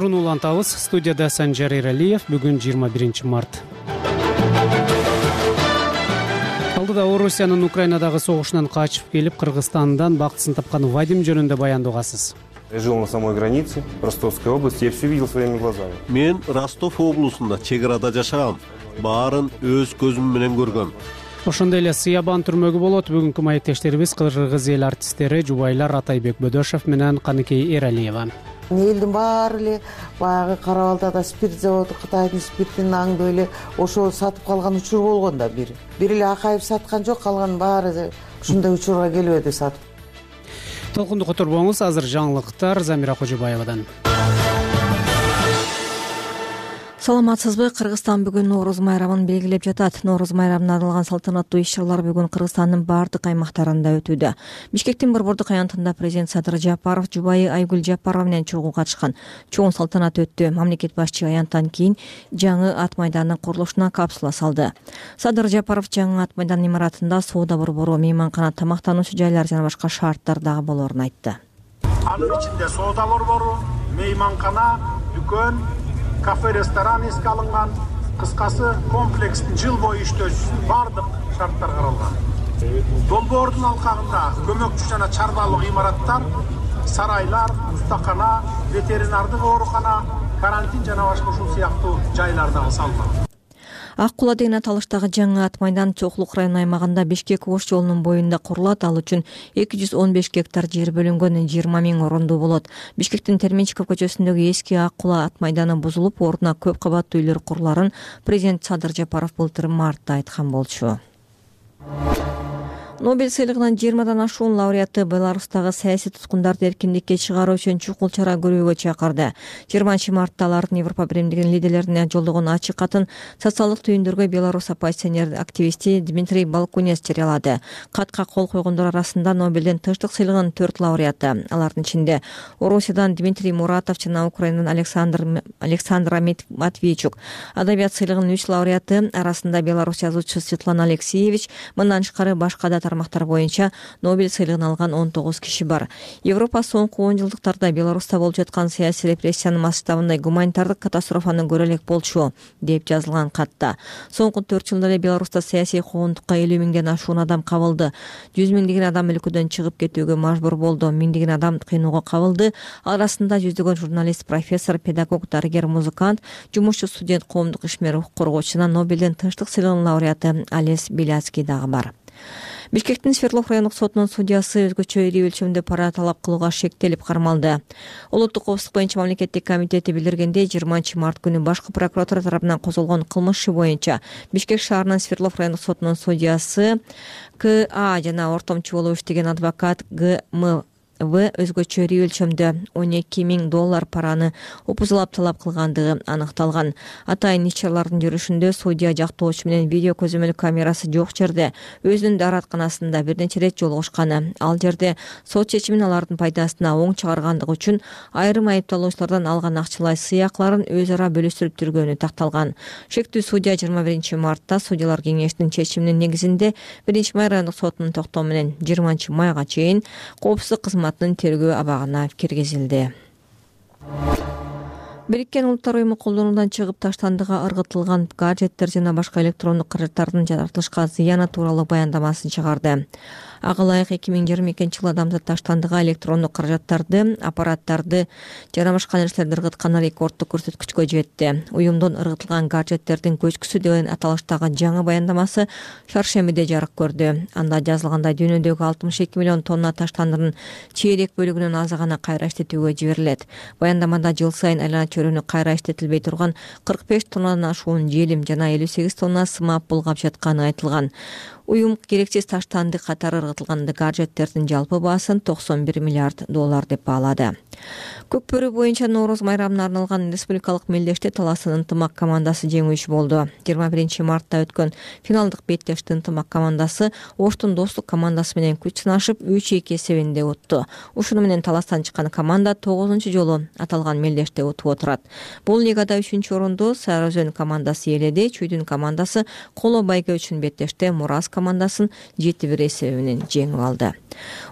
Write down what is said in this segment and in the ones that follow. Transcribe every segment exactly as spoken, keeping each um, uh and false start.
отуруну улантабыз. Студияда Санжар Эралиев. Бүгүн жыйырма биринчи март. Алдыда Орусиянын Украинадагы согушунан качып келип, Кыргызстандан бактысын тапкан Вадим жөнүндө баяндоогасыз. Я жил на самой границе Ростовской области, я все видел своими глазами. Мен Ростов облусунда чек арада жашагам. Баарын өз көзүм менен көргөм. Ошондой эле Сыябан түрмөгү болот. Бүгүнкү маектештерибиз Кыргыз эл артисттери Жубайлар Атайбек Бөдөшов менен Каныкей Эралиева. Элдин баары эле баягы Карабалдада спирт заводу, Кытайдын спиртин аңдып эле ошо сатып калган учур болгон да бир. Бир эле Акаев саткан жок, калган баары ушундай учурга келип эди сатып. Толкунду которбоңуз, азыр жаңылыктар Замира Кожобаевадан. Саламатсызбы? Кыргызстан бүгүн Нооруз майрамын белгилеп жатат. Нооруз майрамына арналган салтанаттуу иш-чаралар бүгүн Кыргызстандын бардык аймактарында өтүүдө. Бишкектин Борбордук аянтында президент Садыр Жапаров жубайы Айгүл Жапарова менен чогуу катышкан. Чоң салтанат өттү. Мамлекет башчы аянттан кийин жаңы ат майданын курулушуна капсула салды. Садыр Жапаров жаңы ат майдан имаратында соода борбору, мейманкана, тамактануучу жайлар жана башка шарттар дагы болоорун айтты. Анын ичинде соода борбору, мейманкана, дүкөн, кафе, ресторан эске алынган, кыскасы комплекстин жыл бою иштөөсүн бардык шарттар каралган. Долбоордун алкагында көмөкчү жана чарбалык имараттар, сарайлар, устакана, ветеринардык оорукана, карантин жана башка ушул сыяктуу жайлар дагы салынган. Ак Кула деген аталыштагы жаңы ат майдан Чоклук району аймагында Бишкек-Ош жолунун боюнда курулат. Ал үчүн эки жүз он беш гектар жер бөлүнгөн, жыйырма миң орондуу болот. Бишкектин Терменчиков көчөсүндөгү эски Ак Кула ат майданы бузулуп, ордуна көп кабаттуу үйлөр куруларын президент Садыр Жапаров былтыр мартта айткан болчу. Нобель сыйлыгынын жыйырмадан ашуун лауреаты Беларустагы саясий туткундарды эркиндикке чыгаруу үчүн чукул чара көрүүгө чакырды. жыйырманчы мартта алардын Европа биримдигинин лидерлерине жолдогон ачык катын социалдык түйүндөргө Беларусь оппозиционер активисти Дмитрий Балкунец жарыялады. Катка кол койгондор арасында Нобелдин тынчтык сыйлыгынын төрт лауреаты. Алардын ичинде Орусиядан Дмитрий Муратов жана Украинадан Александр Александра Матвейчук. Адабият сыйлыгынын үч лауреаты арасында Беларусь жазуучусу Светлана Алексеевич, мындан тышкары башка да тармактар боюнча Нобель сыйлыгын алган он тогуз киши бар. Европа соңку он жылдыктарда Беларуста болуп жаткан саясий репрессиянын масштабындай гуманитардык катастрофаны көрө элек болчу, деп жазылган катта. Соңку төрт жылда эле Беларуста саясий куугунтукка элүү миңден ашуун адам кабылды. жүз миңдеген адам өлкөдөн чыгып кетүүгө мажбур болду. Миңдеген адам кыйноого кабылды. Арасында жүздөгөн журналист, профессор, педагог, дарыгер, музыкант, жумушчу, студент, коомдук ишмер, коргоочу жана Нобелдин тынчтык сыйлыгынын лауреаты Алес Беляцкий дагы бар. Бишкектин Свердлов райондук сотунун судьясы өзгөчө ири өлчөмдө пара талап кылууга шектелип кармалды. Улуттук коопсуздук боюнча мамлекеттик комитети билдиргендей, жыйырманчы март күнү башкы прокуратура тарабынан козголгон кылмыш иши боюнча Бишкек шаарынын Свердлов райондук сотунун судьясы К А жана ортомчу болуп иштеген адвокат Г М В өзгөчө ири өлчөмдө он эки миң доллар параны упузалап талап кылгандыгы аныкталган. Атайын иш-чаралардын жүрүшүндө судья жактоочу менен видео көзөмөл камерасы жок жерде өзүнүн дааратканасында бир нече ирет жолугушканы. Ал жерде сот чечимин алардын пайдасына оң чыгаргандыгы үчүн айрым айыпталуучулардан алган акчалай сыйакыларын өз ара бөлүштүрүп жүргөнү такталган. Шектүү судья жыйырма биринчи мартта судьялар кеңешинин чечиминин негизинде биринчи май райондук сотунун токтому менен жыйырманчы майга чейин коопсуздук кызматы тергөө абагына киргизилди. Бириккен Улуттар уюму колдонуудан чыгып таштандыга ыргытылган гаджеттер жана башка электрондук каражаттардын жаратылышка зыяны тууралуу баяндамасын чыгарды. Ага ылайык эки миң жыйырма экинчи жылы адамзат таштандыга электрондук каражаттарды, аппараттарды жана башка нерселерди ыргытканы рекорддук көрсөткүчкө жетти. Уюмдун ыргытылган гаджеттердин көчкүсү деген аталыштагы жаңы баяндамасы шаршембиде жарык көрдү. Анда жазылгандай, дүйнөдөгү алтымыш эки миллион тонна таштандынын чейрек бөлүгүнүн азы гана кайра иштетүүгө жиберилет. Баяндамада жыл сайын айлана чөйрөнү кайра иштетилбей турган кырк беш тоннадан ашуун желим жана элүү сегиз тонна сымап булгап жатканы айтылган. Уюм керексиз таштанды катары ыргытылган гаджеттердин жалпы баасын токсон бир миллиард доллар деп баалады. Көкбөрү боюнча Нооруз майрамына арналган республикалык мелдеште Таластын ынтымак командасы жеңүүчү болду. жыйырма биринчи мартта өткөн финалдык беттешти ынтымак командасы Оштун Достук командасы менен күч сынашып үч эки эсебинде утту. Ушуну менен Таластан чыккан команда тогузунчу жолу аталган мелдеште утуп отурат. Бул лигада үчүнчү орунду Сары Өзөн командасы ээледи. Чүйдүн командасы Коло Байге үчүн беттеште Мурас командасын жети бир эсеби менен жеңип алды.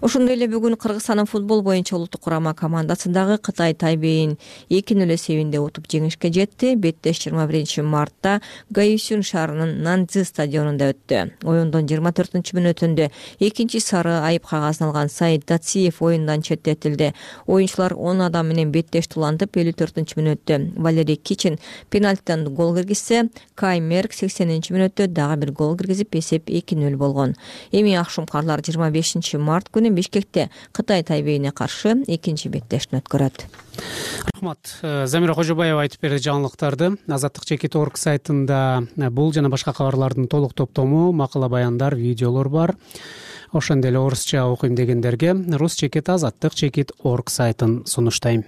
Ошондой эле бүгүн Кыргызстандын футбол боюнча улуттук курама командасы командасындагы Кытай Тайбейин эки нөл эсебинде утуп жеңишке жетти. Беттеш жыйырма биринчи мартта Гаюсюн шаарынын Нанцзы стадионунда өттү. Оюндун жыйырма төртүнчү мүнөтүндө экинчи сары айып кагазын алган Саид Дациев оюндан четтетилди. Оюнчулар он адам менен беттеш тулантып, элүү төртүнчү мүнөттө Валерий Кичин пенальтидан гол киргизсе, Кай Мерк сексенинчи мүнөттө дагы бир гол киргизип, эсеп эки нөл болгон. Эми акшумкарлар жыйырма бешинчи март күнү Бишкекте Кытай Тайбейине каршы экинчи беттешин өткөрөт. Рахмат. Замира Кожобаева айтып берди жаңылыктарды. Азаттык чекит орг сайтында бул жана башка кабарлардын толук топтому, макала баяндар, видеолор бар. Ошондой эле орусча окуйм дегендерге рус чекит азаттык чекит орг сайтын сунуштайм.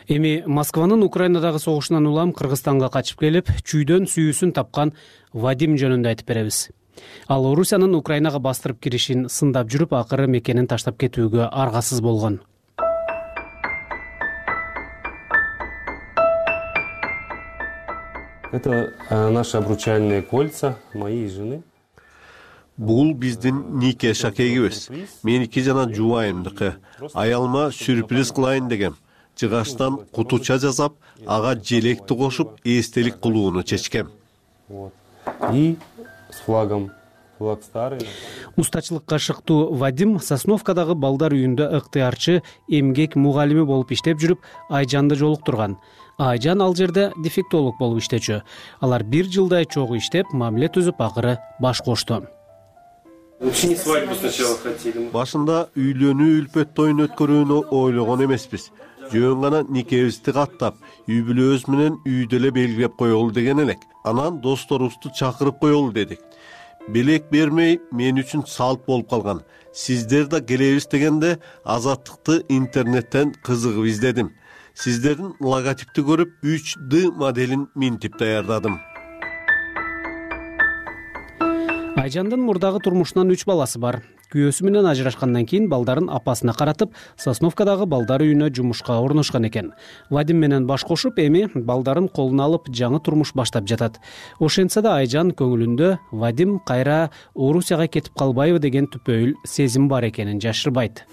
Эми Москванын Украинадагы согушунан улам Кыргызстанга качып келип, чүйдөн сүйүүсүн тапкан Вадим жөнүндө айтып беребиз. Ал Орусиянын Украинага бастырып киришин сындап жүрүп, акыры мекенин таштап кетүүгө аргасыз болгон. Это наши обручальные кольца моей жены. Бул биздин нике шакегибиз. Меники жана жубайымдыкы. Аялыма сюрприз кылайын дегем. Жыгаштан кутуча жасап, ага желекти кошуп, эстелик кылууну чечкем. Вот. И с флагом. Флаг старый. Устачылыкка шыктуу Вадим Сосновкадагы балдар үйүндө ыктыярчы, эмгек мугалими болуп иштеп жүрүп, Айжанды жолуктурган. Айжан ал жерде дефектолог болуп иштечү. Алар бир жылдай чогуу иштеп, мамиле түзүп, акыры баш кошту. Башында үйлөнүү үлпөт тоюн өткөрүүнү ойлогон эмеспиз. Жөн гана никебизди каттап, үй бүлөбүз менен үйдө эле белгилеп коелу деген элек. Анан досторубузду чакырып коелу дедик. Белек бермей мен үчүн салт болуп калган. Сиздер да келебиз дегенде азаттыкты интернеттен кызыгып издедим. Сиздердин логотипти көрүп үч дэ моделин минтип даярдадым. Айжандын мурдагы турмушунан үч баласы бар. Күйөөсү менен ажырашкандан кийин балдарын апасына каратып, Сосновкадагы балдар үйүнө жумушка орношкан экен. Вадим менен баш кошуп, эми балдарын колуна алып жаңы турмуш баштап жатат. Ошентсе да Айжан көңүлүндө Вадим кайра Орусияга кетип калбайбы деген түпөйүл сезим бар экенин жашырбайт.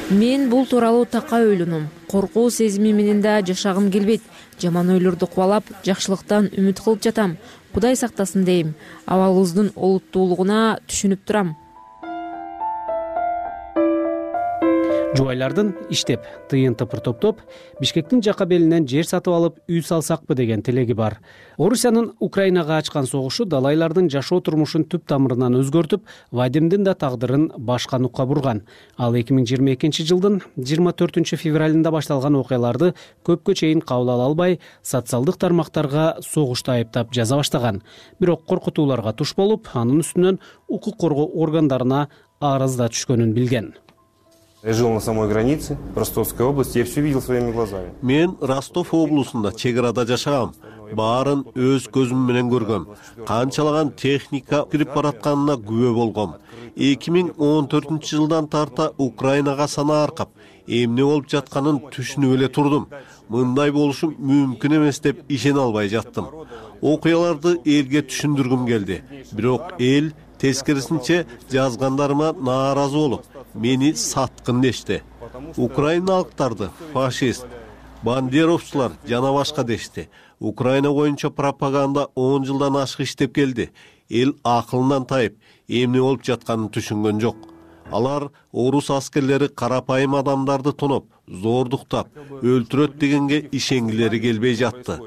Мен бул тууралуу такай ойлоном. Коркуу сезими менен да жашагым келбейт. Жаман ойлорду кубалап, жакшылыктан үмүт кылып жатам. Кудай сактасын дейм. Абалыбыздын олуттуулугуна түшүнүп турам. Жубайлардын иштеп, тыйын тыпыр топтоп, Бишкектин жака белинен жер сатып алып, үй салсакпы деген тилеги бар. Орусиянын Украинага ачкан согушу далайлардын жашоо турмушун түп тамырынан өзгөртүп, Вадимдин да тагдырын башка нукка бурган. Ал эки миң жыйырма экинчи жылдын жыйырма төртүнчү февралында башталган окуяларды көпкө чейин кабыл ала албай, социалдык тармактарга согушта айыптап жаза баштаган. Бирок коркутууларга туш болуп, анын үстүнөн укук коргоо органдарына арыз да түшкөнүн билген. Я жил на самой границе Ростовской области, я все видел своими глазами. Мен Ростов облусунда чек арада жашагам. Баарын өз көзүм менен көргөм. Канчалаган техника кирип баратканына күбө болгом. эки миң он төртүнчү жылдан тарта Украинага сана аркап, эмне болуп жатканын түшүнүп эле турдум. Мындай болушу мүмкүн эмес деп ишене албай жаттым. Окуяларды элге түшүндүргүм келди. Бирок эл тескерисинче жазгандарыма нааразы болуп, мени саткын дешти. Украиналыктарды фашист, бандеровчулар жана башка дешти. Украина боюнча пропаганда он жылдан ашык иштеп келди. Эл акылынан тайып, эмне болуп жатканын түшүнгөн жок. Алар орус аскерлери карапайым адамдарды тоноп, зордуктап, өлтүрөт дегенге ишенгилери келбей жатты.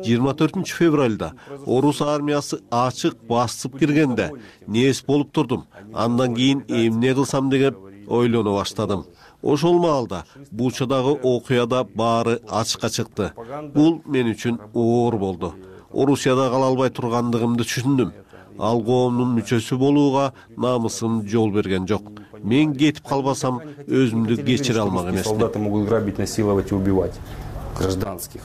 жыйырма төртүнчү февралда орус армиясы ачык басып киргенде нес болуп турдум. Андан кийин эмне кылсам деген ойлоно баштадым. Ошол маалда Бучадагы окуяда баары ачыкка чыкты. Бул мен үчүн оор болду. Орусияда кала албай тургандыгымды түшүндүм. Ал коомдун мүчөсү болууга намысым жол берген жок. Мен кетип калбасам өзүмдү кечире алмак эмесмин. Солдаты могут грабить, насиловать и убивать гражданских.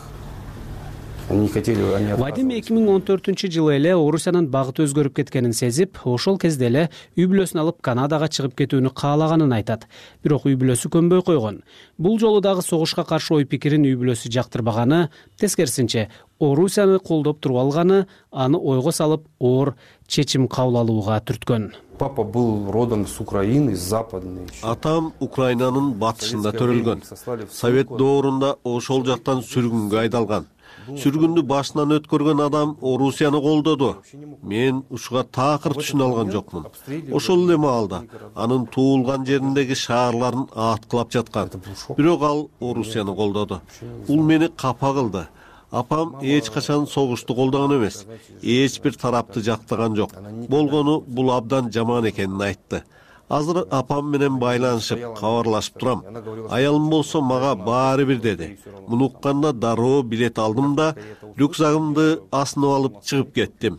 Они не хотели, они Вадим эки миң он төртүнчү жылы эле Орусиянын багыты өзгөрүп кеткенин сезип, ошол кезде эле үй бүлөсүн алып Канадага чыгып кетүүнү каалаганын айтат. Бирок үй бүлөсү көнбөй койгон. Бул жолу дагы согушка каршы ой пикирин үй бүлөсү жактырбаганы, тескерисинче Орусияны колдоп туруп алганы аны ойго салып, оор чечим кабыл алууга түрткөн. Папа был родом с Украины, с западной. Атам Украинанын батышында төрөлгөн. Совет доорунда ошол жактан сүргүнгө айдалган. Сүргүндү башынан өткөргөн адам Орусияны колдоду. Мен ушуга такыр түшүнө алган жокмун. Ошол эле маалда анын туулган жериндеги шаарларын аткылап жаткан. Бирок ал Орусияны колдоду. Бул мени капа кылды. Апам эч качан согушту колдогон эмес. Эч бир тарапты жактаган жок. Болгону бул абдан жаман экенин айтты. Азыр апам менен байланышып, кабарлашып турам. Аялым болсо мага баары бир деди. Муну укканда дароо билет алдым да, рюкзагымды асынып алып чыгып кеттим.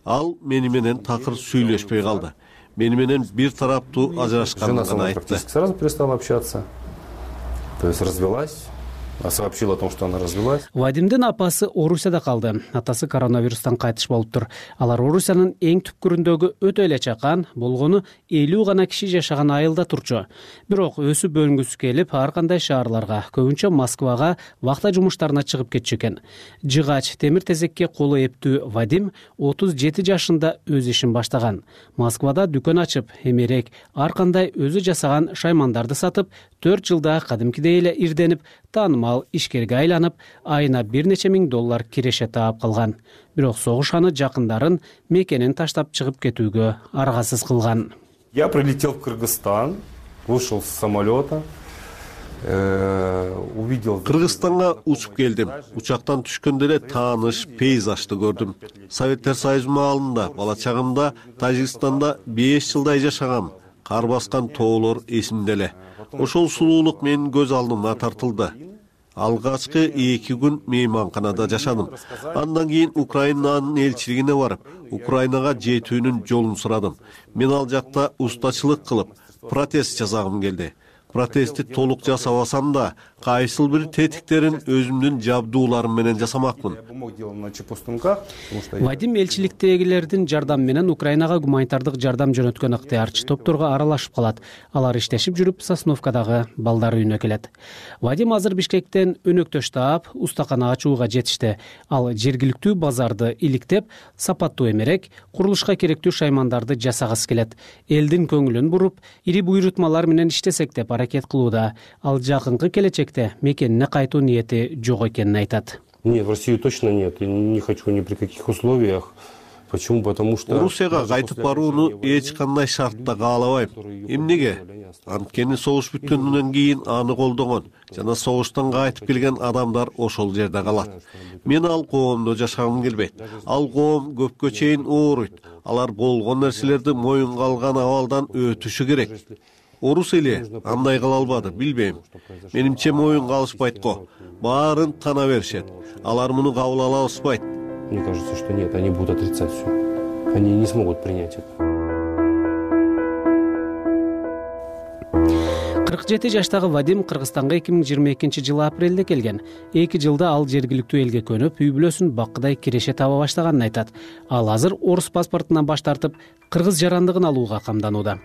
Ал мени менен такыр сүйлөшпөй калды. Мени менен бир тараптуу ажырашканын айтты. Сразу перестала общаться. То есть развелась. Сообщила о том, что она развелась. Вадимдин апасы Орусияда калды. Атасы коронавирустан кайтыш болуптур. Алар Орусиянын эң түпкүрүндөгү өтө эле чакан, болгону элүү гана киши жашаган айылда турчу. Бирок өсүп өнгүсү келип, ар кандай шаарларга, көбүнчө Москвага вахта жумуштарына чыгып кетчү экен. Жыгач, темир тезекке колу эптүү Вадим отуз жети жашында өз ишин баштаган. Москвада дүкөн ачып, эмерек ар кандай өзү жасаган шаймандарды сатып, төрт жылда кадимкидей эле ирденип, таанымал ишкерге айланып, айына бир нече миң доллар киреше таап калган. Бирок согуш аны жакындарын мекенин таштап чыгып кетүүгө аргасыз кылган. Я прилетел в Кыргызстан, вышел с самолета, увидел. Кыргызстанга учуп келдим. Учактан түшкөндө эле тааныш пейзажды көрдүм. Советтер Союзу маалында, бала чагымда Тажикстанда беш жылдай жашагам. Кар баскан тоолор эсимде эле. Ошол сулуулук менин көз алдыма тартылды. Алгачкы эки күн мейманканада жашадым. Андан кийин Украинанын элчилигине барып, Украинага жетүүнүн жолун сурадым. Мен ал жакта устачылык кылып, протест жасагым келди. Протестти толук жасабасам да, кайсыл бир тетиктерин өзүмдүн жабдууларым менен жасамакмын. Вадим элчиликтегилердин жардамы менен Украинага гуманитардык жардам жөнөткөн ыктыярчы топторго аралашып калат. Алар иштешип жүрүп, Сосновкадагы балдар үйүнө келет. Вадим азыр Бишкектен өнөктөш таап, устакана ачууга жетишти. Ал жергиликтүү базарды иликтеп, сапаттуу эмерек, курулушка керектүү шаймандарды жасагысы келет. Элдин көңүлүн буруп, ири буйрутмалар менен иштесек деп аракет кылууда. Ал жакынкы келечекте мекенине кайтуу ниети жок экенин айтат. Нет, в Россию точно нет. Я не хочу ни при каких условиях. Почему? Потому что Орусияга кайтып барууну эч кандай шартта каалабайм. Эмнеге? Анткени согуш бүткөндөн кийин аны колдогон жана согуштан кайтып келген адамдар ошол жерде калат. Мен ал коомдо жашагым келбейт. Ал коом көпкө чейин ооруйт. Алар болгон нерселерди моюнга алган абалдан өтүшү керек. Орус эли андай кыла албады, билбейм. Менимче моюнга алышпайт го. Баарын тана беришет. Алар муну кабыл ала алышпайт. Мне кажется, что нет, они будут отрицать все. Они не смогут принять это. кырк жети жаштагы Вадим Кыргызстанга эки миң жыйырма экинчи жылы апрелде келген. эки жылда ал жергиликтүү элге көнүп, үй бүлөсүн баккыдай киреше таба баштаганын айтат. Ал азыр орус паспортунан баш тартып, кыргыз жарандыгын алууга камданууда.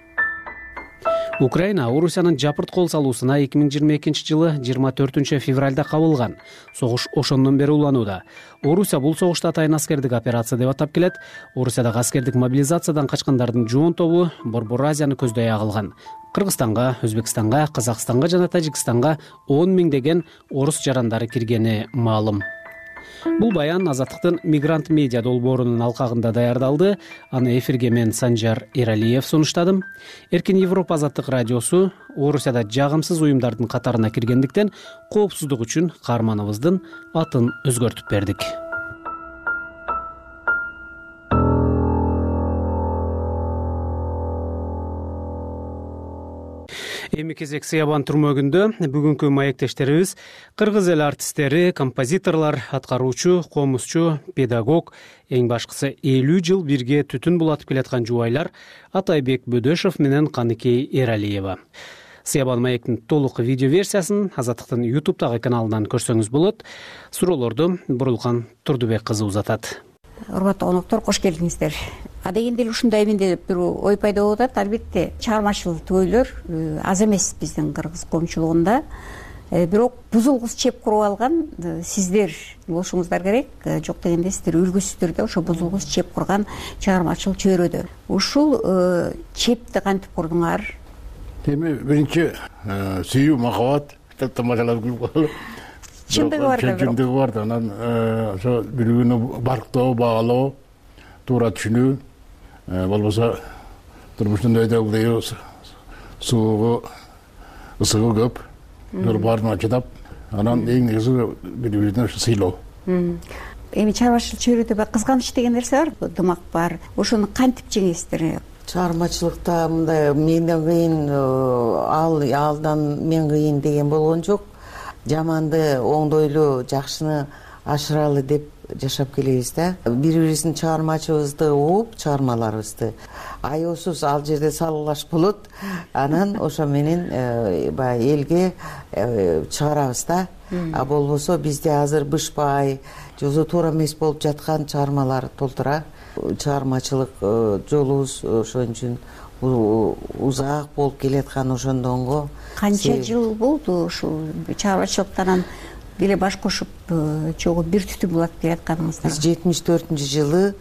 Украина Орусиянын жапырт кол салуусуна эки миң жыйырма экинчи жылы жыйырма төртүнчү февралда кабылган. Согуш ошондон бери уланууда. Орусия бул согушту атайын аскердик операция деп атап келет. Орусиядагы аскердик мобилизациядан качкандардын жоон тобу Борбор Азияны көздөй агылган. Кыргызстанга, Өзбекстанга, Казакстанга жана Тажикстанга он миңдеген орус жарандары киргени маалым. Бул баян Азаттыктын Мигрант медиа долбоорунун алкагында даярдалды. Аны эфирге мен Санжар Эралиев сунуштадым. Эркин Европа Азаттык радиосу Орусияда жагымсыз уюмдардын катарына киргендиктен коопсуздук үчүн каарманыбыздын атын өзгөртүп бердик. Эми кезек Сыябан түрмөгүндө бүгүнкү маектештерибиз кыргыз эл артисттери, композиторлор, аткаруучу, комузчу, педагог, эң башкысы элүү жыл бирге түтүн булатып келаткан жубайлар Атайбек Бөдөшов менен Каныкей Эралиева. Сыябан маектин толук видео версиясын Азаттыктын ютубтагы каналынан көрсөңүз болот. Суроолорду Бурулкан Турдубек кызы узатат. Урматтуу коноктор, кош келиңиздер. А дегенде эле ушундаймын деп бир ой пайда болуп атат. Албетте чыгармачыл төйлөр аз эмес биздин кыргыз коомчулугунда. Бирок бузулгус чеп куруп алган сиздер болушуңуздар керек. Жок дегенде сиздер үлгүсүздөр да ошо бузулгус чеп курган чыгармачыл чөйрөдө. Ушул чепти кантип курдуңар? Эми биринчи сүйүү, махабат, тамашалап күлүп калып. Чындыгы бар да. Чындыгы бар да. Анан ошо бири-бирини барктоо, баалоо, туура түшүнүү, болбосо турмуштун өйдөгү суугу, ысыгы көп. Бир баарына чыдап, анан эң негизи бири-бирине сыйлоо. Эми чыгармачыл чөйрөдө бир кызганыч деген нерсе бар, дымак бар. Ошону кантип жеңесиздер? Чыгармачылыкта мындай менден кыйын, ал алдан мен кыйын деген болгон жок. Жаманды оңдойлу, жакшыны ашыралы деп жашап келебиз да. Бири-бирибиздин чыгармачыбызды угуп, чыгармаларыбызды аеосуз ал жерде салгылаш болот. Анан ошо менен баягы элге чыгарабыз да. А болбосо бизде азыр бышпай, жозу туура эмес болуп жаткан чыгармалар толтура. Чыгармачылык жолубуз ошон үчүн узак болуп келаткан ошондонго. Канча жыл болду ушул чыгармачылыктан деле баш кошуп чогуу бир түтүн булат келатканыңызда? Биз жетимиш төртүнчү жылы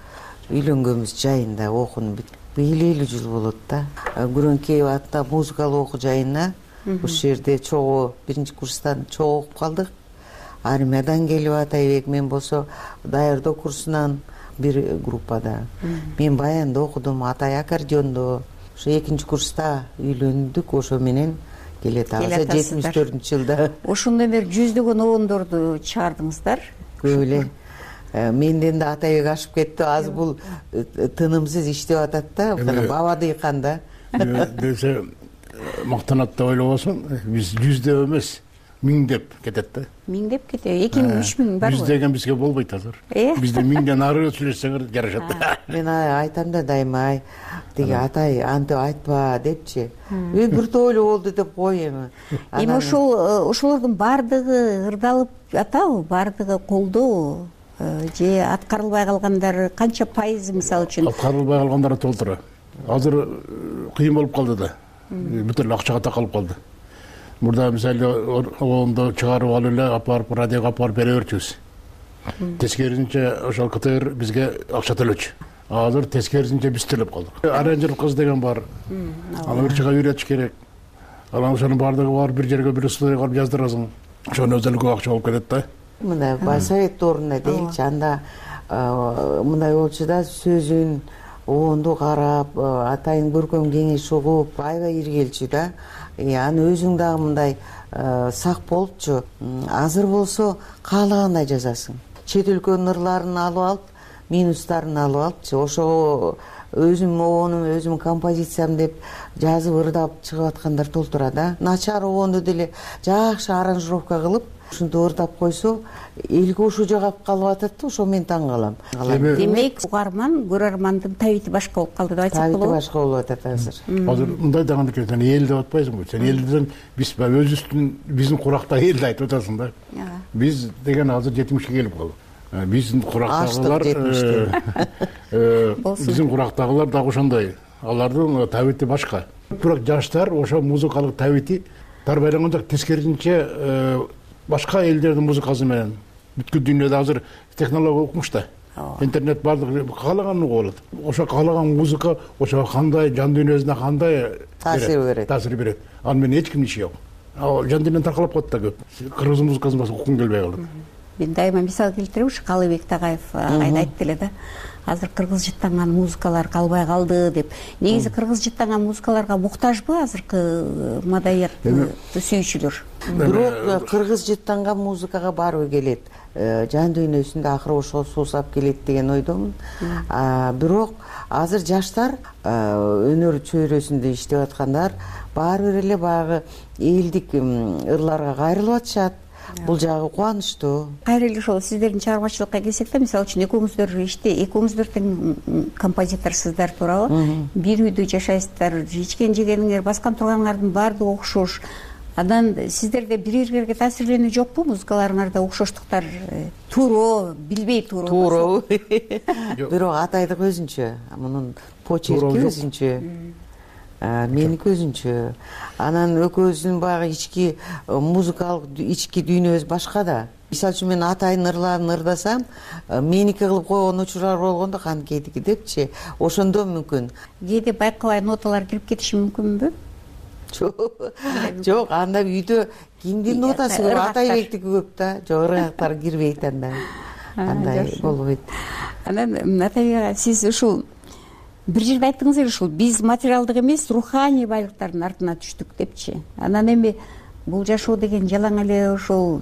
үйлөнгөнбүз жайында, окууну бүт. Быйыл элүү жыл болот да. Күрөңкеев атында музыкалык окуу жайына ушул жерде чогуу биринчи курстан чогуу окуп калдык. Армиядан келип Атайбек, мен болсо даярдоо курсунан бир группада. Мен баянда окудум, Атай аккордеондо. Ошо экинчи курста үйлөндүк, ошо менен келет азыр жетимиш төртүнчү жылда. Ошондо бир жүздөгөн обондорду чыгардыңыздар. Көп эле. Менден да Атайбек ашып кетти. Азыр бул тынымсыз иштеп атат да, баба дыйкан да. Десе мактанат деп ойлобосуң, биз жүздөп эмес, миңдеп кетет да. Миңдеп кетет. эки миң, үч миң бар го. Жүз деген бизге болбойт азыр. Бизде миңден ары сүйлөшсөңөр жарашат. Мен айтам да дайыма, тиги Атай антип айтпа депчи. Мен бир тойлуу болду деп кой эми. Эми ошол ошолордун баардыгы ырдалып атабы, баардыгы колдоо же аткарылбай калгандары канча пайызы мисалы үчүн? Аткарылбай калгандары толтура. Азыр кыйын болуп калды да. Бүт эле акчага такалып калды. Мурда мисалы оңдо чыгарып алып эле апарып радиого апарып бере берчүбүз. Тескерисинче ошол КТР бизге акча төлөчү. Азыр тескерисинче биз төлөп калдык. Аранжер кыз деген бар. Аны ырчыга үйрөтүш керек. Анан ошонун баардыгы бар, бир жерге бир студияга барып жаздырасың. Ошонун өзү көп акча болуп кетет да. Мындай Байсовет ордуна дейчи, анда мындай болчу да, сөзүн оонду карап, Атайдын көркөм кеңеш угуп, аябай иргелчү да. Аны өзүң дагы мындай сак болупчу. Азыр болсо каалагандай жазасың. Чет өлкөнүн ырларын алып алып, минустарын алып алыпчы. Ошого өзүм оонум, өзүм композициям деп жазып ырдап чыгып аткандар толтура да. Начар оонду деле жакшы аранжировка кылып, ушинтип ырдап койсо, элге ушул жагап калып атат да, ошо мен таң калам. Демек, угарман, көрөрмандын табити башка болуп калды деп айтсак болобу? Табити башка болуп атат азыр. Азыр мындай дагы экен, сен эл деп атпайсыңбы? Сен эл десең, биз өзүбүздүн биздин курактагы элди айтып атасың да. Биз деген азыр жетимишке келип калдык. Биздин курактагылар, биздин курактагылар дагы ошондой. Алардын табити башка. Бирок жаштар ошо музыкалык табити тарбайланганда тескерисинче башка элдердин музыкасы менен бүткүл дүйнөдө азыр технология укмуш да. Интернет бардыгы каалаганын угуп алат. Ошо каалаган музыка ошо кандай жан дүйнөсүнө кандай таасир берет. Таасир берет. Аны менен эч кимдин иши жок. Ал жан дүйнөнү таркалап калат да көп. Кыргыз музыкасын башка уккум келбей калат. Мен дайыма мисал келтирем, ушу Калыбек Тагаев айда айтты эле да. Азыр кыргыз жыттанган музыкалар калбай калды деп. Негизи кыргыз жыттанган музыкаларга муктажбы азыркы маданиятты сүйүүчүлөр? Бирок кыргыз жыттанган музыкага баары келет. Жан дүйнөсүндө акыры ошол суусап келет деген ойдомун. Бирок азыр жаштар өнөр чөйрөсүндө иштеп аткандар баары бир эле баягы элдик ырларга кайрылып атышат. бул жагы кубанычтуу. Кайра эле ошол сиздердин чыгармачылыкка келсек да, мисалы үчүн экөөңүздөр иште, экөөңүздөр тең композиторсуздар туурабы? Бир үйдө жашайсыздар, ичкен жегениңер, баскан турганыңардын баардыгы окшош. Анан сиздерде бири бирге таасирленүү жокпу? Музыкаларыңарда окшоштуктар туура, билбей туура. Туурабы? Бирок Атайдык өзүнчө, мунун почерки өзүнчө. Меники өзүнчө. Анан экөөбүздүн баягы ички музыкалык ички дүйнөбүз башка да. Мисалы үчүн мен Атайдын ырларын ырдасам, меники кылып койгон учурлар болгондо канткейдики депчи, ошондо мүмкүн. Кээде байкабай ноталар кирип кетиши мүмкүнбү? Жок, анда үйдө кимдин нотасы көп? Атайбектики көп да. Жок, ыргактар кирбейт анда. Андай болбойт. Анан Атайбек, сиз ушул бир жерде айттыңыз эле, ушул биз материалдык эмес, руханий байлыктардын артына түштүк депчи. Анан эми бул жашоо деген жалаң эле ошол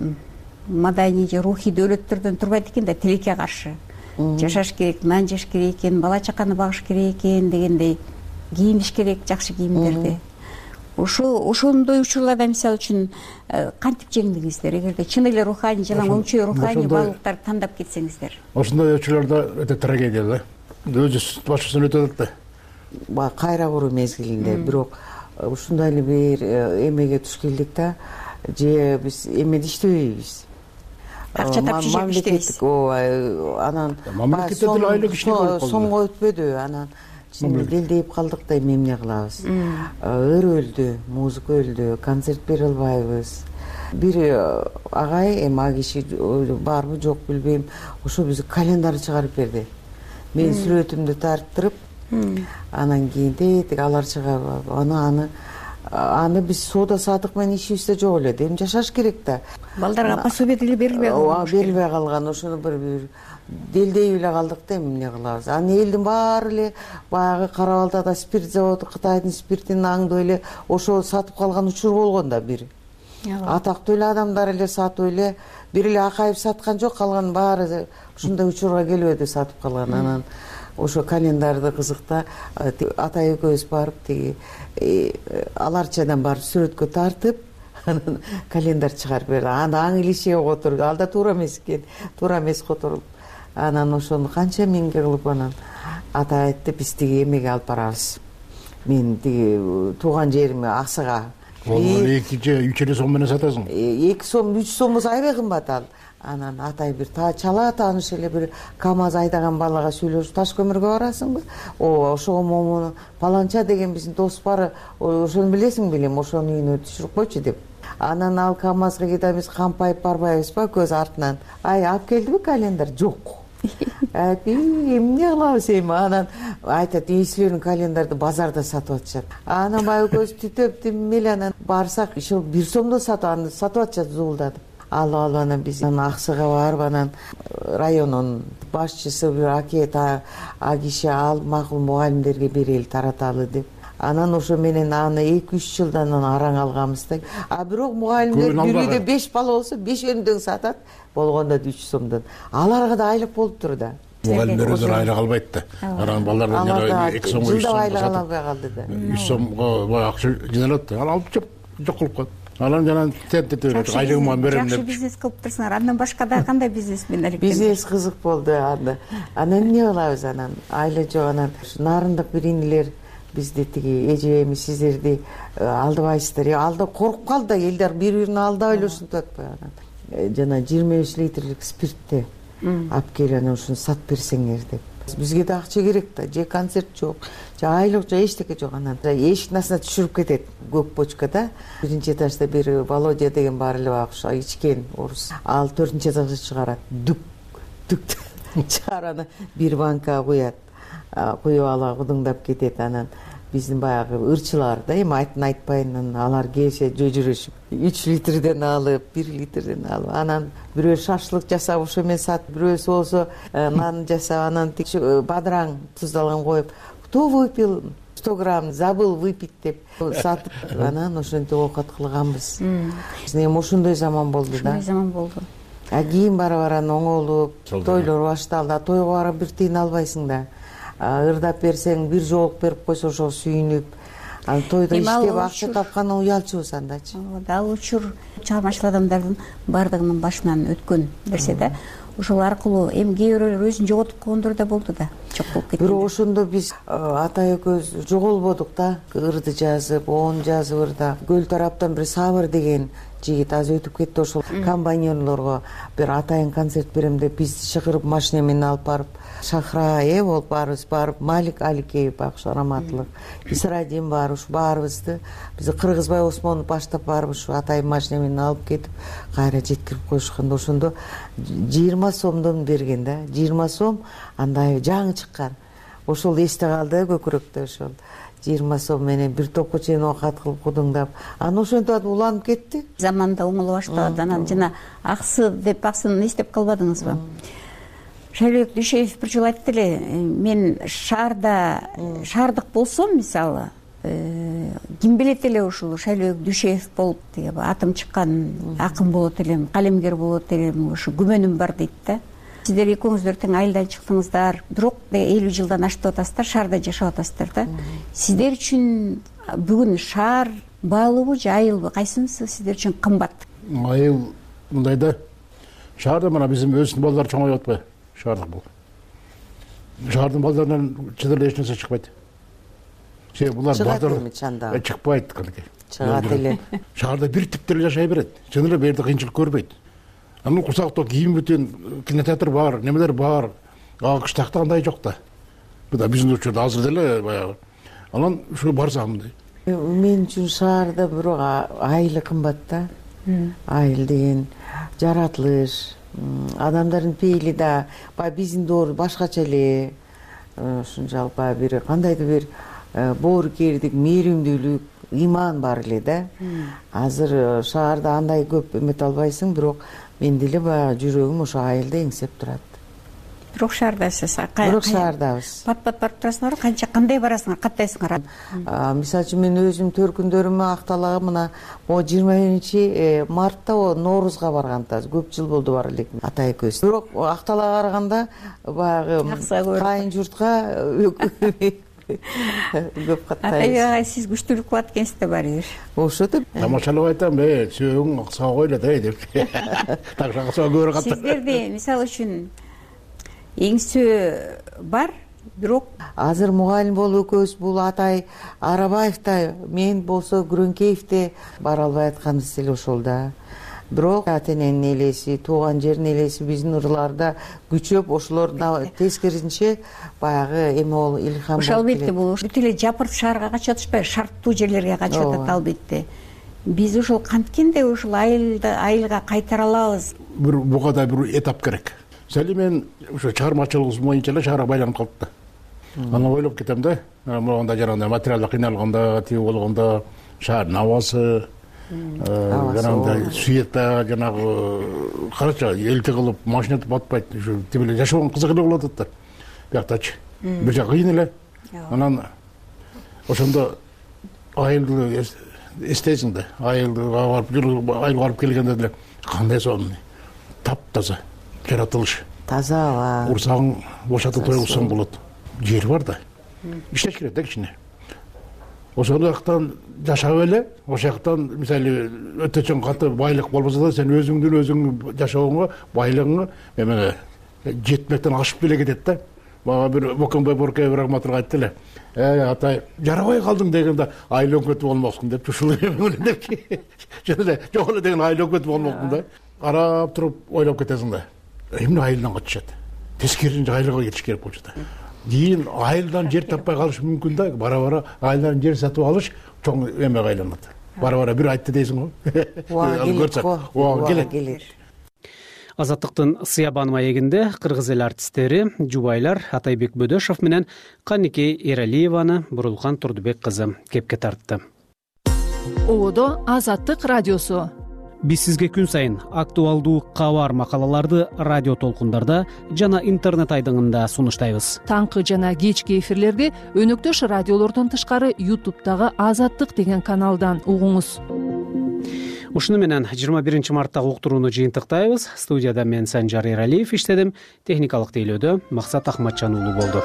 маданий же рухий дөөлөттөрдөн турбайт экен да, тилекке каршы. Жашаш керек, нан жеш керек экен, бала чаканы багыш керек экен дегендей, кийиниш керек жакшы кийимдерди. Ошо ошондой учурларда мисалы үчүн кантип жеңдиңиздер? Эгерде чын эле руханий жалаң өңчө руханий байлыктарды тандап кетсеңиздер. Ошондой учурларда өтө трагедия да. Өзү башкасын өтөт да. Баа кайра куруу мезгилинде, бирок ушундай эле бир эмеге туш келдик да, же биз эмеде иштебейбиз. Акча тапчы жеп иштебейбиз. Ооба, анан мамлекетте деле айлык иштеп болуп калды. Сомго өтпөдү, анан делдейип калдык да, эми эмне кылабыз? Ыр өлдү, музыка өлдү, концерт бере албайбыз. Бир агай, эми а киши барбы жок билбейм, ошо бизге календарь чыгарып берди. Мен сүрөтүмдү тарттырып, анан кийин тетиги алар чыгарып, аны аны аны биз соода саттык менен ишибизде жок эле. Эми жашаш керек да. Балдарга пособие деле берилбей калган. Ооба, берилбей калган. Ошону бир бир делдей эле калдык да, эмне кылабыз? Анан элдин баары эле баягы Кара Балтада спирт заводу, Кытайдын спиртин аңдып эле ошо сатып калган учур болгон да бир. Атактуу эле адамдар эле сатып эле, бир эле Акаев саткан жок, калган баары ушундай учурга келип сатып калган. Анан ошо календарды кызыкта Атай экөөбүз барып тиги аларчадан барып сүрөткө тартып, анан календарь чыгарып берди. Анда аң илишеге отуруп, алда туура эмес экен, туура эмес отуруп. Анан ошону канча миңге кылып анан Атай айтты, биз тиги эмеге алып барабыз. Мен тиги тууган жериме Аксыга. Ол эки же үч эле сом менен сатасың. эки сом, үч сом болсо аябай кымбат ал. Анан Атай бир чала тааныш эле бир КамАЗ айдаган балага сүйлөшүп, таш көмүргө барасыңбы? Ооба, ошого момуну паланча деген биздин дос бар, ошону билесиң белем, ошонун үйүнө түшүрүп койчу деп. Анан ал КамАЗга кетебиз, кампайып барбайбызбы көз артынан. Ай, алып келдиби календарь? Жок. Эмне кылабыз эми? Анан айтат, ийсилердин календарды базарда сатып атышат. Анан баягы көз түтөп тим эле, анан барсак, ошо бир сомдо сатып, аны сатып атышат зуулдатып. Алып алып анан биз Аксыга барып, анан райондун башчысы бир акет а киши ал макул мугалимдерге берели, тараталы деп. Анан ошо менен аны эки үч жылдан араң алганбыз да. А бирок мугалимдер бир үйдө беш бала болсо, бешөөнү тең сатат, болгондо үч сомдон. Аларга да айлык болуптур да. Мугалимдер өздөрү айлык албайт да. Анан балдардан эки сомго үч сомго айлык ала албай калды да. үч сомго баягы акча жыналат да. Ал алып жок кылып коет. Анан жана тентетип берет, айлыгымы берем деп. Жакшы бизнес кылып турсуңар. Андан башка да кандай бизнес менен аракет? Бизнес кызык болду анда. Анан эмне кылабыз анан? Айла жок, анан нарындык биринилер бизди тиги эжебеймиз, сиздерди алдабайсыздар. Алда коркуп калды да, элдер бири-бирин алдап эле ушинтип атпайбы анан. Жана жыйырма беш литрлик спиртти алып келип анан ушуну сатып берсеңер деп. Бизге да акча керек да, же концерт жок, же айлык, же эчтеке жок. Анан эшиктин астына түшүрүп кетет көк бочкада. Биринчи этажда бир Володя деген бар эле багыш, ичкен орус. Ал төртүнчү этажга чыгарат. Дүк, дүк чыгарып анан бир банка куят. Куюп ала кудуңдап кетет. Анан биздин баягы ырчылар да, эми айтын айтпайын, анан алар келсе жөжүрөшүп үч литрден алып, бир литрден алып, анан бирөө шашлык жасап ошо менен сатып, бирөөсү болсо нан жасап, анан бадыраң туздалган коюп, кто выпил сто грамм, забыл выпить деп сатып, анан ошентип оокат кылганбыз. Эми ошондой заман болду да. Ошондой заман болду. А кийин бара-бара оңолуп, тойлор башталды. Тойго барып бир тыйын албайсың да. Ырдап берсең, бир жоолук берип койсо ошого сүйүнүп, ал тойдо иштеп акча тапкандан уялчубуз андачы. Ал учур чыгармачыл адамдардын баардыгынын башынан өткөн нерсе да. Ошол аркылуу эми кээ бирөөлөр өзүн жоготуп койгондор да болду да. Жок болуп кетти. Бирок ошондо биз атай экөөбүз жоголбодук да. Ырды жазып, оон жазып ырда. Көл тараптан бир Сабыр деген жигит азыр өтүп кетти, ошол комбайнерлорго бир атайын концерт берем деп бизди чакырып машина менен алып барып, Шахра э болуп баарыбыз барып, Малик Аликеев багыш раматтылык, Исрадин бар, ушу баарыбызды бизди Кыргызбай Осмонов баштап барып ушу атайын машина менен алып кетип, кайра жеткирип коюшкан. Ошондо жыйырма сомдон берген да, жыйырма сом, анда жаңы чыккан. Ошол эсте калды көкүрөктө, ошол жыйырма сом менен бир топко чейин оокат кылып кудуңдап, анан ошентип уланып кетти. Заманда оңоло баштады. Анан жана аксы деп аксын эстеп калбадыңызбы? Шайлообек Дүйшеев бир жолу айтты эле, мен шаарда шаардык болсом, мисалы, ким билет эле ушул Шайлообек Дүйшеев болуп, деге атым чыккан акын болот элем, калемгер болот элем, ушу күмөнүм бар дейт да. Сиздер экөөңүздөр тең айылдан чыктыңыздар, бирок элүү жылдан ашып атасыздар, шаарда жашап атасыздар да. Сиздер үчүн бүгүн шаар баалуубу же айылбы, кайсынысы сиздер үчүн кымбат? Айыл мындай да, шаарда мына биздин өзүбүздүн балдар чоңоюп атпайбы? Шаардык бул. Шаардын балдарынан чын эле эч нерсе чыкпайт. Себеби булар балдар чыкпайт кантип. Чыгат эле. Шаарда бир тип деле жашай берет. Чын эле бу жерде кыйынчылык көрбөйт. Анын курсакта кийим бүтүн, кинотеатр бар, немелер бар. А кыштакта андай жок да. Бу да биздин учурда азыр деле баягы. Анан ушу барсам мындай. Мен үчүн шаарда бирок айыл кымбат да. Айыл деген жаратылыш, адамдардын пейили да баягы биздин доор башкача эле. Ушунчалык баягы бир кандайдыр бир боорукердик, мээримдүүлүк, иман бар эле да. Азыр шаарда андай көп эмете албайсың, бирок мен деле баягы жүрөгүм ошо айылда эңсеп турат. Бирок шаардасыз. Бирок шаардабыз. Пат-пат барып турасыңарбы? Канча кандай барасыңар, каттайсыңар? Мисалы үчүн мен өзүм төркүндөрүмө Акталага мына могу жыйырма биринчи мартта Ноорузга барганда көп жыл болду бар элек атай экөөбүз. Бирок Акталага караганда баягы кайын журтка көп каттайбыз. Атай сиз күчтүүлүк кылат экенсиз да баары бир. Ошо деп тамашалап айтам, э, сөөң сагой эле да деп. Так сагой көрө катты. Сиздерде мисалы үчүн эңсөө бар, бирок азыр мугалим болуп экөөбүз бул атай Арабаев да, мен болсо Күрөңкеев да бара албай атканыбыз эле ошол да. Бирок ата эненин элеси, тууган жердин элеси биздин ырларда күчөп, ошолор тескерисинче баягы эме болуп илхам болуп. Ошол албетте бул бүт эле жапырт шаарга качып атышпайбы, шарттуу жерлерге качып атат албетте. Биз ошол канткенде ошол айылды айылга кайтара алабыз. Бир буга да бир этап керек. Сели мен ошо чыгармачылыгыбыз боюнча эле шаарга байланып калып да. Анан ойлоп кетем да, могунда жанагындай материалдык кыйналганда, тиги болгондо шаардын абасы, жанагындай света, жанагы карача элти кылып машина өтүп атпайт, ушу тип эле жашаган кызык эле болуп атат да. Бияктачы. Бир жак кыйын эле. Анан ошондо айылды эстейсиң да, айылга барып, айылга барып келгенде деле кандай сонун, таптаза жаратылыш. Таза. Урсаң бошотуп тоюлсаң болот. Жер бар да. Иштеш керек да кичине. Ошол жактан жашап эле, ошол жактан мисалы өтө чоң катты байлык болбосо да сен өзүңдүн өзүң жашооңо, байлыгыңа эме жетмектен ашып деле кетет да. Мага бир Боконбай Боркеев рахматулла айтты эле. Э, атай, жарабай калдың дегенде айыл өңкөтүп болмоксуң деп, ушул эме деп. Жөн эле жок эле деген айыл өңкөтүп болмоксуң да. Карап туруп ойлоп кетесиң да. Эмне айылдан качышат? Тескерисинче айылга кетиш керек болчу да. Кийин айылдан жер таппай калыш мүмкүн да. Бара-бара айылдан жер сатып алыш чоң эмеге айланат. Бара-бара бир айтты дейсиң го. Ооба келет. Азаттыктын Сыябан маегинде кыргыз эл артисттери, жубайлар Атайбек Бөдөшов менен Канике Эралиеваны Бурулкан Турдубек кызы кепке тартты. Ободо Азаттык радиосу. Биз сизге күн сайын актуалдуу кабар макалаларды радио толкундарда жана интернет айдыңында сунуштайбыз. Таңкы жана кечки эфирлерди өнөктөш радиолордон тышкары Ютубтагы Азаттык деген каналдан угуңуз. Ушуну менен жыйырма биринчи марттагы уктурууну жыйынтыктайбыз. Студияда мен Санжар Эралиев иштедим. Техникалык тейлөөдө Максат Ахматжан уулу болду.